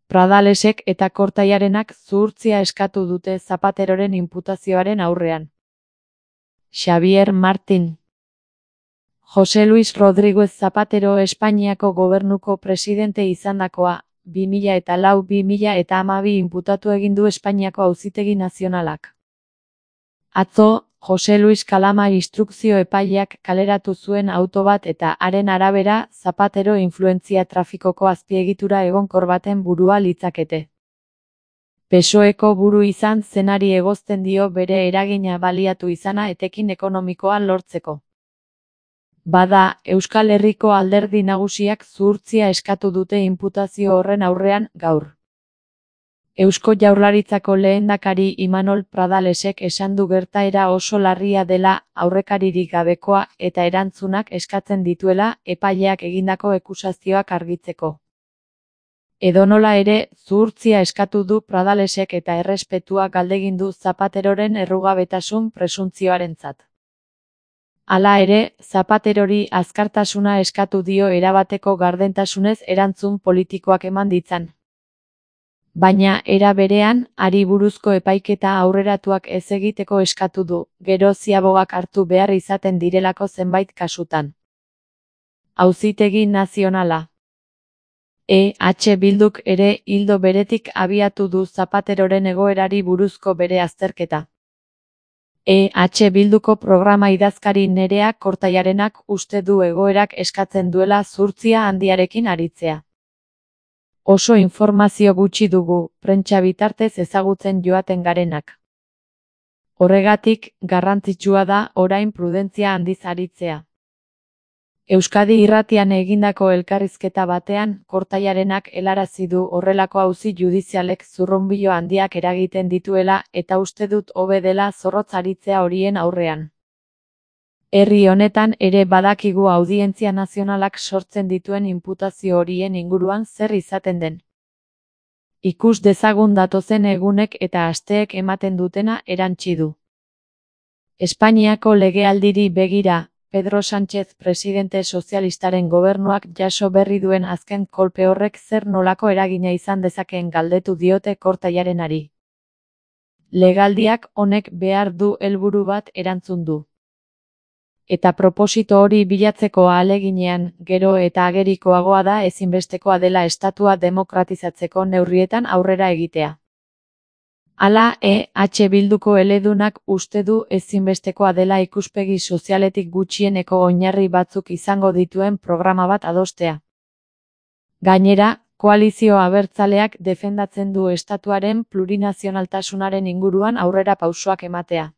Pradalesek eta Kortaiarenak zuhurtzia eskatu dute Zapateroren inputazioaren aurrean. Xavier Martín. José Luis Rodríguez Zapatero Espainiako gobernuko presidente izandakoa, 2004-2012 inputatu egin du Espainiako Auzitegi Nazionalak. Atzo, José Luis Kalama instrukzio epaileak kaleratu zuen auto bat eta haren arabera Zapatero influentzia trafikoko azpiegitura egonkor baten burua litzakete. PSOEko buru izan zenari egozten dio bere eragina baliatu izana etekin ekonomikoa lortzeko. Bada, Euskal Herriko alderdi nagusiak zuhurtzia eskatu dute inputazio horren aurrean gaur. Eusko Jaurlaritzako lehendakari Imanol Pradalesek esan du gertaera oso larria dela, aurrekaririk gabekoa eta erantzunak eskatzen dituela epaileak egindako akusazioak argitzeko. Edonola ere, zuhurtzia eskatu du Pradalesek eta errespetua galdegin du Zapateroren errugabetasun presuntzioarentzat. Hala ere, Zapaterori azkartasuna eskatu dio erabateko gardentasunez erantzun politikoak eman ditzan. Baina, era berean, hari buruzko epaiketa aurreratuak ez egiteko eskatu du, gero ziabogak hartu behar izaten direlako zenbait kasutan. Auzitegi Nazionala. EH Bilduk ere ildo beretik abiatu du Zapateroren egoerari buruzko bere azterketa. EH Bilduko programa idazkari Nerea Kortaiarenak uste du egoerak eskatzen duela zuhurtzia handiarekin aritzea. Oso informazio gutxi dugu, prentsa bitartez ezagutzen joaten garenak. Horregatik, garrantzitsua da orain prudentzia handiz aritzea. Euskadi Irratian egindako elkarrizketa batean, Kortaiarenak helarazi du horrelako auzi judizialek zurrunbilo handiak eragiten dituela eta uste dut hobe dela zorrotz aritzea horien aurrean. Herri honetan ere badakigu audientzia nazionalak sortzen dituen inputazio horien inguruan zer izaten den. Ikus dezagun datozen egunek eta asteek ematen dutena erantsi du. Espainiako legealdiri begira, Pedro Sánchez presidente sozialistaren gobernuak jaso berri duen azken kolpe horrek zer nolako eragina izan dezakeen galdetu diote Kortaiarenari. Legaldiak honek behar du helburu bat erantzun du. Eta proposito hori bilatzeko ahaleginean, gero eta agerikoagoa da ezinbestekoa dela estatua demokratizatzeko neurrietan aurrera egitea. Hala, EH Bilduko eledunak uste du ezinbestekoa dela ikuspegi sozialetik gutxieneko oinarri batzuk izango dituen programa bat adostea. Gainera, koalizio abertzaleak defendatzen du estatuaren plurinazionaltasunaren inguruan aurrera pausoak ematea.